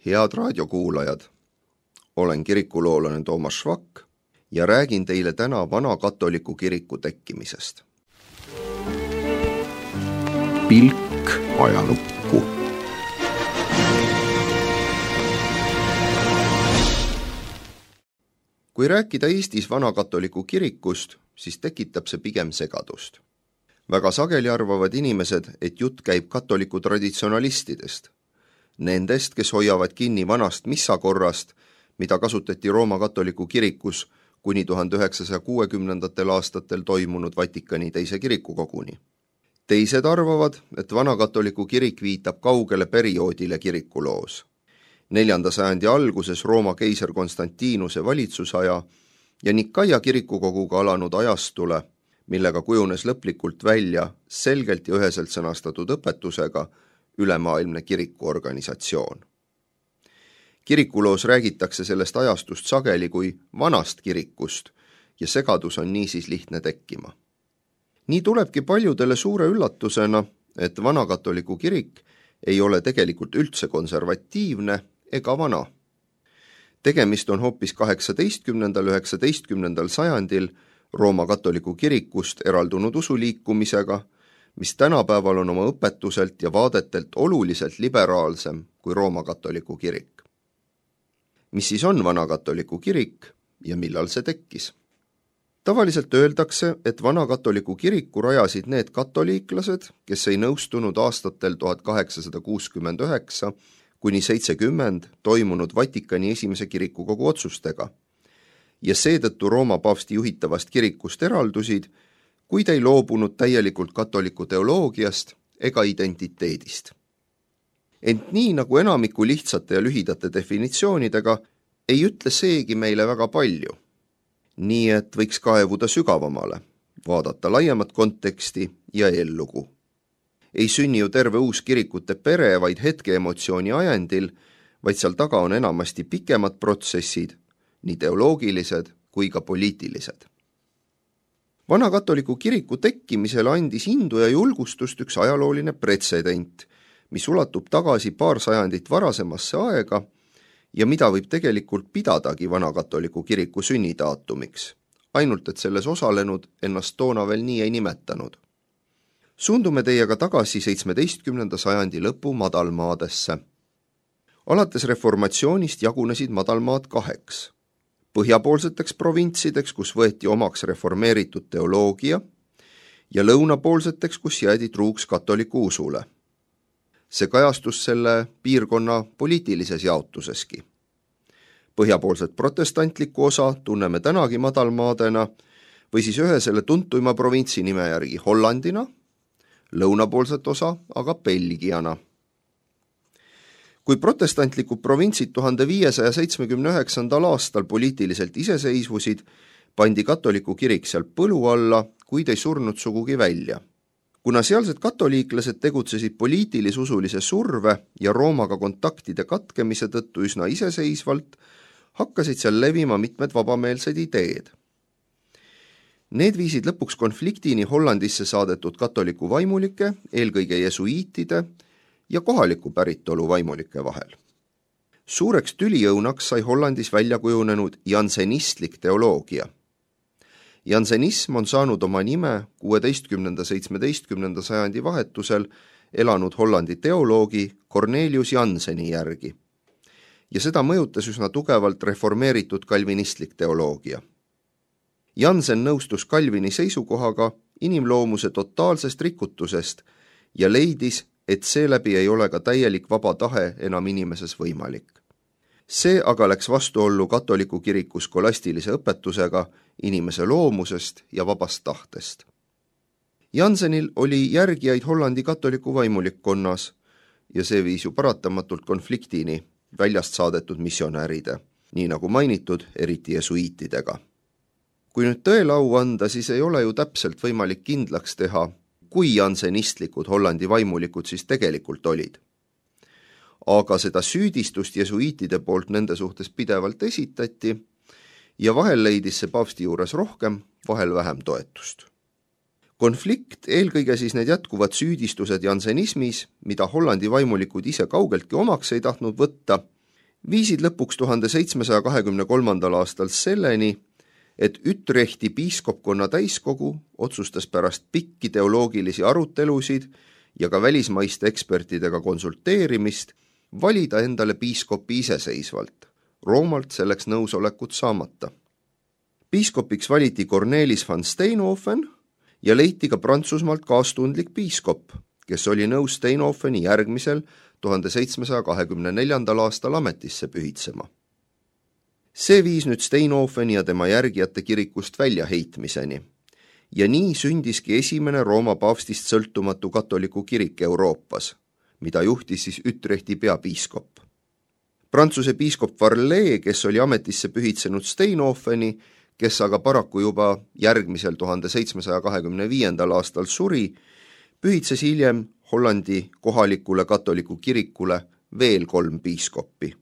Head raadiokuulajad, olen kirikuloolane Toomas Švak ja räägin teile täna vana katoliku kiriku tekkimisest. Pilk ajalukku. Kui rääkida Eestis vana katoliku kirikust, siis tekitab see pigem segadust. Väga sageli arvavad inimesed, et jutt käib katoliku traditsionalistidest. Nendest, kes hoiavad kinni vanast missakorrast, mida kasutati Rooma katoliku kirikus kuni 1960. aastatel toimunud Vatikani teise kirikukoguni. Teised arvavad, et vana katoliku kirik viitab kaugele perioodile kirikuloos. 4. sajandi alguses Rooma keiser Konstantinuse valitsusaja ja Nikaia kirikukoguga alanud ajastule, millega kujunes lõplikult välja selgelt ja üheselt sõnastatud õpetusega ülemaailmne kirikuorganisatsioon. Kirikuloos räägitakse sellest ajastust sageli kui vanast kirikust ja segadus on niisiis lihtne tekkima. Nii tulebki paljudele suure üllatusena, et vana katoliku kirik ei ole tegelikult üldse konservatiivne ega vana. Tegemist on hoopis 18.–19. sajandil Rooma katoliku kirikust eraldunud usuliikumisega, mis tänapäeval on oma õpetuselt ja vaadetelt oluliselt liberaalsem kui Rooma katoliku kirik. Mis siis on vana katoliku kirik ja millal see tekkis? Tavaliselt öeldakse, et vana katoliku kiriku rajasid need katoliiklased, kes ei nõustunud aastatel 1869 kuni 70 toimunud Vatikani esimese kirikukogu otsustega ja seetõttu Rooma paavsti juhitavast kirikust eraldusid, kuid ei loobunud täielikult katoliku teoloogiast ega identiteedist. Ent nii nagu enamiku lihtsate ja lühidate definitsioonidega, ei ütle seegi meile väga palju. Nii et võiks kaevuda sügavamale, vaadata laiemat konteksti ja eellugu. Ei sünni ju terve uus kirikute pere vaid hetkeemotsiooni ajendil, vaid seal taga on enamasti pikemad protsessid, nii teoloogilised kui ka poliitilised. Vana katoliku kiriku tekkimisele andis indu ja julgustust üks ajalooline pretsedent, mis ulatub tagasi paar sajandit varasemasse aega ja mida võib tegelikult pidadagi vana katoliku kiriku sünnidaatumiks, ainult et selles osalenud ennast toona veel nii ei nimetanud. Suundume teiega tagasi 17. sajandi lõpu madalmaadesse. Alates reformatsioonist jagunesid madalmaad kaheks. Põhjapoolseteks provintsideks, kus võeti omaks reformeeritud teoloogia, ja lõunapoolseteks, kus jäädi truuks katoliku usule. See kajastus selle piirkonna poliitilises jaotuseski. Põhjapoolset protestantlikku osa tunneme tänagi madalmaadena või siis ühe selle tuntuima provintsi nime järgi Hollandina, lõunapoolset osa aga Belgiana. Kui protestantlikud provintsid 1579. aastal poliitiliselt iseseisvusid, pandi katoliku kirik seal põlu alla, kuid ei surnud sugugi välja. Kuna sealsed katoliiklased tegutsesid poliitilis-usulise surve ja Roomaga kontaktide katkemise tõttu üsna iseseisvalt, hakkasid seal levima mitmed vabameelsed ideed. Need viisid lõpuks konfliktini Hollandisse saadetud katoliku vaimulike, eelkõige jesuiitide ja kohaliku päritolu vaimulike vahel. Suureks tüliõunaks sai Hollandis välja kujunenud jansenistlik teoloogia. Jansenism on saanud oma nime 16.–17. sajandi vahetusel elanud Hollandi teoloogi Cornelius Janseni järgi. Ja seda mõjutas üsna tugevalt reformeeritud kalvinistlik teoloogia. Jansen nõustus Calvini seisukohaga inimloomuse totaalsest rikutusest ja leidis, et seeläbi ei ole ka täielik vaba tahe enam inimeses võimalik. See aga läks vastuollu katoliku kiriku skolastilise õpetusega inimese loomusest ja vabast tahtest. Jansenil oli järgijaid Hollandi katoliku vaimulikkonnas ja see viis ju paratamatult konfliktini väljast saadetud missionäride, nii nagu mainitud, eriti jesuiitidega. Kui nüüd tõele au anda, siis ei ole ju täpselt võimalik kindlaks teha, kui jansenistlikud Hollandi vaimulikud siis tegelikult olid. Aga seda süüdistust jesuiitide poolt nende suhtes pidevalt esitati ja vahel leidis see paavsti juures rohkem, vahel vähem toetust. Konflikt, eelkõige siis need jätkuvad süüdistused jansenismis, mida Hollandi vaimulikud ise kaugeltki omaks ei tahtnud võtta, viisid lõpuks 1723. aastal selleni, et Utrechti piiskopkonna täiskogu otsustas pärast pikki teoloogilisi arutelusid ja ka välismaiste ekspertidega konsulteerimist valida endale piiskopi iseseisvalt, Roomalt selleks nõusolekut saamata. Piiskopiks valiti Cornelis van Steenhofen ja leiti ka Prantsusmaalt kaastundlik piiskop, kes oli nõus Steenhofeni järgmisel 1724. aastal ametisse pühitsema. See viis nüüd Steenhofeni ja tema järgijate kirikust väljaheitmiseni ja nii sündiski esimene Rooma paavstist sõltumatu katoliku kirik Euroopas, mida juhtis siis Utrechti peapiiskop. Prantsuse piiskop Varlet, kes oli ametisse pühitsenud Steenhofeni, kes aga paraku juba järgmisel 1725. aastal suri, pühitses hiljem Hollandi kohalikule katoliku kirikule veel 3 piiskoppi,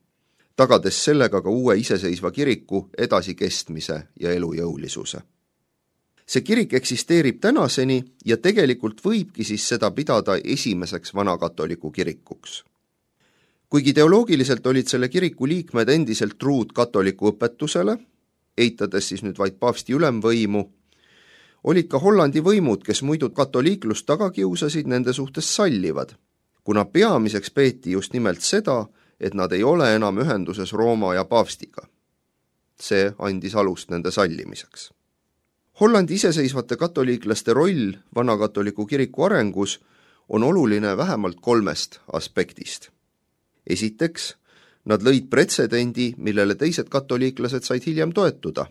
tagades sellega ka uue iseseisva kiriku edasikestmise ja elujõulisuse. See kirik eksisteerib tänaseni ja tegelikult võibki siis seda pidada esimeseks vanakatoliku kirikuks. Kuigi teoloogiliselt olid selle kiriku liikmed endiselt truud katoliku õpetusele, eitades siis nüüd vaid paavsti ülemvõimu, olid ka Hollandi võimud, kes muidu katoliiklust taga kiusasid, nende suhtes sallivad, kuna peamiseks peeti just nimelt seda, et nad ei ole enam ühenduses Rooma ja paavstiga. See andis alust nende sallimiseks. Hollandi iseseisvate katoliiklaste roll vanakatoliku kiriku arengus on oluline vähemalt 3 aspektist. Esiteks, nad lõid pretsedendi, millele teised katoliiklased said hiljem toetuda.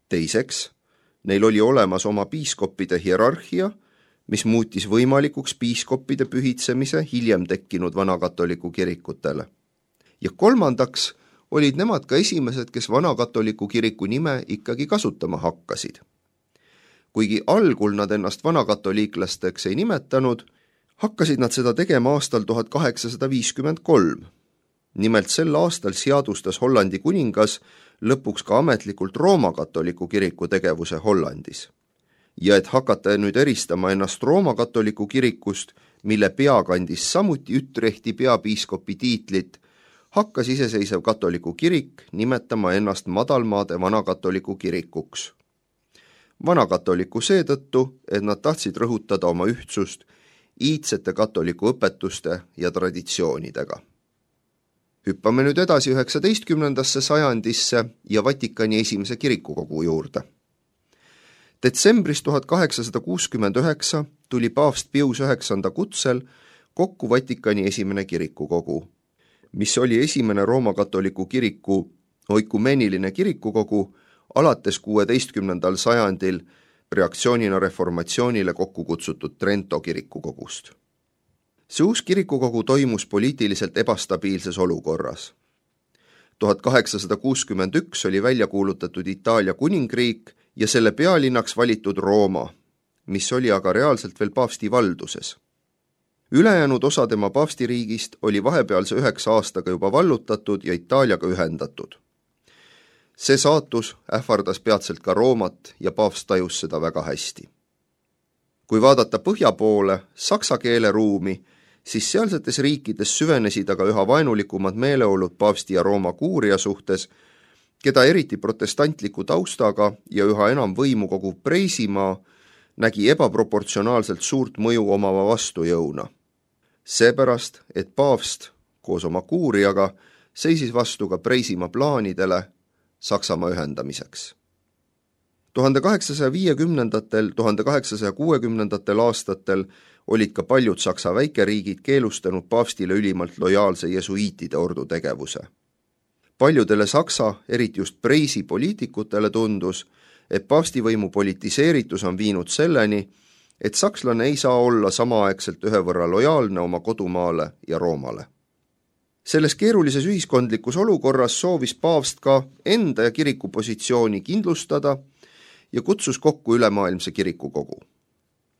Teiseks, neil oli olemas oma piiskoppide hierarhia, mis muutis võimalikuks piiskoppide pühitsemise hiljem tekkinud vanakatoliku kirikutele. Ja kolmandaks olid nemad ka esimesed, kes vanakatoliku kiriku nime ikkagi kasutama hakkasid. Kuigi algul nad ennast vanakatoliiklasteks ei nimetanud, hakkasid nad seda tegema aastal 1853. Nimelt sel aastal seadustas Hollandi kuningas lõpuks ka ametlikult Rooma katoliku kiriku tegevuse Hollandis. Ja et hakata nüüd eristama ennast Rooma katoliku kirikust, mille pea kandis samuti Utrechti peapiiskopi tiitlit, hakkas iseseisev katoliku kirik nimetama ennast madalmaade vanakatoliku kirikuks. Vanakatoliku seetõttu, et nad tahtsid rõhutada oma ühtsust iidsete katoliku õpetuste ja traditsioonidega. Hüppame nüüd edasi 19. sajandisse ja Vatikani esimese kirikukogu juurde. Detsembris 1869 tuli paavst Pius IX kutsel kokku Vatikani esimene kirikukogu, mis oli esimene Rooma katoliku kiriku oikumeeniline kirikukogu alates 16. sajandil reaktsioonina reformatsioonile kokku kutsutud Trento kirikukogust. See uus kirikukogu toimus poliitiliselt ebastabiilses olukorras. 1861 oli välja kuulutatud Itaalia kuningriik ja selle pealinnaks valitud Rooma, mis oli aga reaalselt veel paavsti valduses. Ülejäänud osa tema paavstiriigist oli vahepealse 9 aastaga juba vallutatud ja Itaaliaga ühendatud. See saatus ähvardas peatselt ka Roomat ja paavst tajus seda väga hästi. Kui vaadata põhja poole, saksa keele ruumi, siis sealsetes riikides süvenesid aga üha vaenulikumad meeleolud paavsti ja Rooma kuuria suhtes, keda eriti protestantliku taustaga ja üha enam võimu koguv Preisimaa nägi ebaproportsionaalselt suurt mõju omava vastujõuna. Seepärast, et paavst koos oma kuuriaga seisis vastu ka Preisimaa plaanidele Saksamaa ühendamiseks. 1850–1860 aastatel olid ka paljud Saksa väikeriigid keelustanud paavstile ülimalt lojaalse jesuiitide ordu tegevuse. Paljudele Saksa, eriti just Preisi poliitikutele tundus, et paavstivõimu politiseeritus on viinud selleni, et sakslane ei saa olla samaaegselt ühe võrra lojaalne oma kodumaale ja Roomale. Selles keerulises ühiskondlikus olukorras soovis paavst ka enda ja kiriku positsiooni kindlustada ja kutsus kokku ülemaailmse kirikukogu.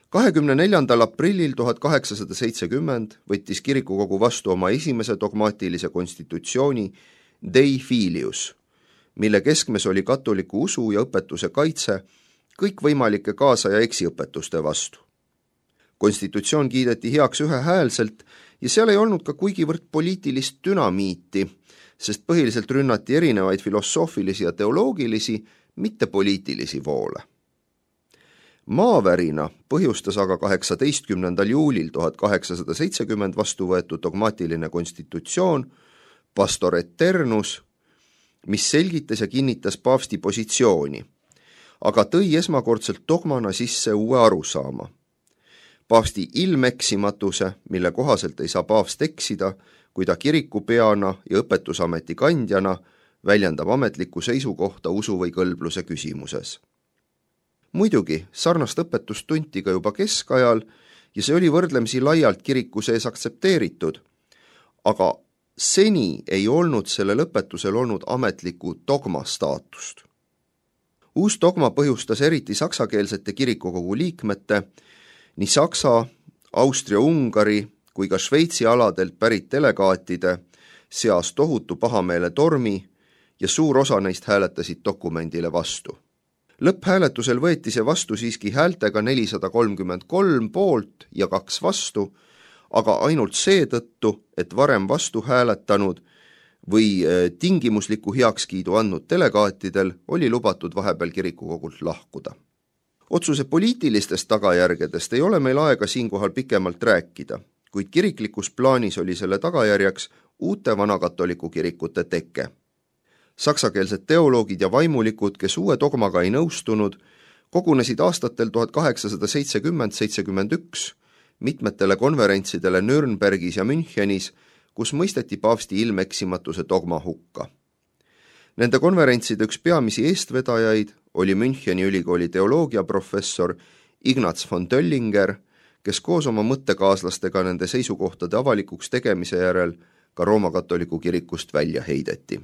24. aprillil 1870 võttis kirikukogu vastu oma esimese dogmaatilise konstitutsiooni Dei Filius, mille keskmes oli katoliku usu ja õpetuse kaitse kõikvõimalike kaasa- ja eksiõpetuste vastu. Konstitutsioon kiideti heaks ühehäälselt ja seal ei olnud ka kuigivõrd poliitilist dünamiiti, sest põhiliselt rünnati erinevaid filosoofilisi ja teoloogilisi, mitte poliitilisi voole. Maavärina põhjustas aga 18. juulil 1870 vastu võetud dogmaatiline konstitutsioon Pastor Eternus, mis selgitas ja kinnitas paavsti positsiooni, aga tõi esmakordselt dogmana sisse uue arusaama. Paavsti ilmeksimatuse, mille kohaselt ei saa paavst eksida, kui ta kirikupeana ja õpetusameti kandjana väljendab ametlikku seisukohta usu või kõlbluse küsimuses. Muidugi, sarnast õpetust tunti ka juba keskajal ja see oli võrdlemisi laialt kiriku sees aktsepteeritud, aga seni ei olnud sellel õpetusel olnud ametlikku dogma staatust. Uus dogma põhjustas eriti saksakeelsete kirikukogu liikmete, nii Saksa, Austria-Ungari kui ka Šveitsi aladelt pärit delegaatide seas tohutu pahameele tormi ja suur osa neist hääletasid dokumendile vastu. Lõpphääletusel võeti see vastu siiski häältega 433 poolt ja 2 vastu, aga ainult seetõttu, et varem vastu hääletanud või tingimusliku heakskiidu andnud delegaatidel oli lubatud vahepeal kirikukogult lahkuda. Otsuse poliitilistest tagajärgedest ei ole meil aega siinkohal pikemalt rääkida, kuid kiriklikus plaanis oli selle tagajärjeks uute vanakatoliku kirikute teke. Saksakeelsed teoloogid ja vaimulikud, kes uue dogmaga ei nõustunud, kogunesid aastatel 1870-71 mitmetele konverentsidele Nürnbergis ja Münchenis, kus mõisteti paavsti ilmeksimatuse dogma hukka. Nende konverentside üks peamisi eestvedajaid oli Müncheni ülikooli teoloogiaprofessor Ignaz von Döllinger, kes koos oma mõttekaaslastega nende seisukohtade avalikuks tegemise järel ka Rooma katoliku kirikust välja heideti.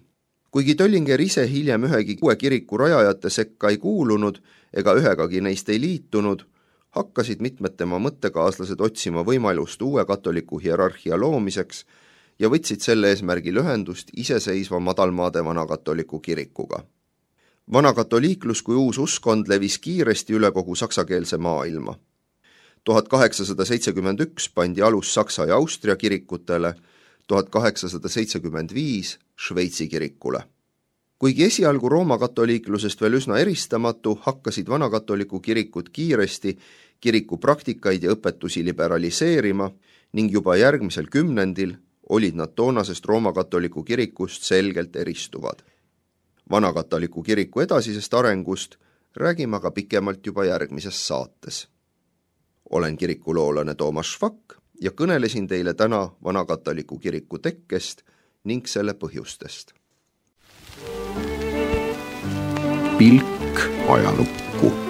Kuigi Döllinger ise hiljem ühegi uue kiriku rajajate sekka ei kuulunud ega ühegagi neist ei liitunud, hakkasid mitmed tema mõttekaaslased otsima võimalust uue katoliku hierarhia loomiseks ja võtsid selle eesmärgil ühendust iseseisva madalmaade vanakatoliku kirikuga. Vanakatoliiklus kui uus uskond levis kiiresti üle kogu saksakeelse maailma. 1871 pandi alus Saksa ja Austria kirikutele, 1875 Šveitsi kirikule. Kuigi esialgu Rooma katoliiklusest veel üsna eristamatu, hakkasid vanakatoliku kirikud kiiresti kiriku praktikaid ja õpetusi liberaliseerima ning juba järgmisel kümnendil olid nad toonasest Rooma katoliku kirikust selgelt eristuvad. Vanakatoliku kiriku edasisest arengust räägime aga pikemalt juba järgmises saates. Olen kirikuloolane Toomas Švak ja kõnelesin teile täna vanakatoliku kiriku tekkest ning selle põhjustest. Pilk ajalukku.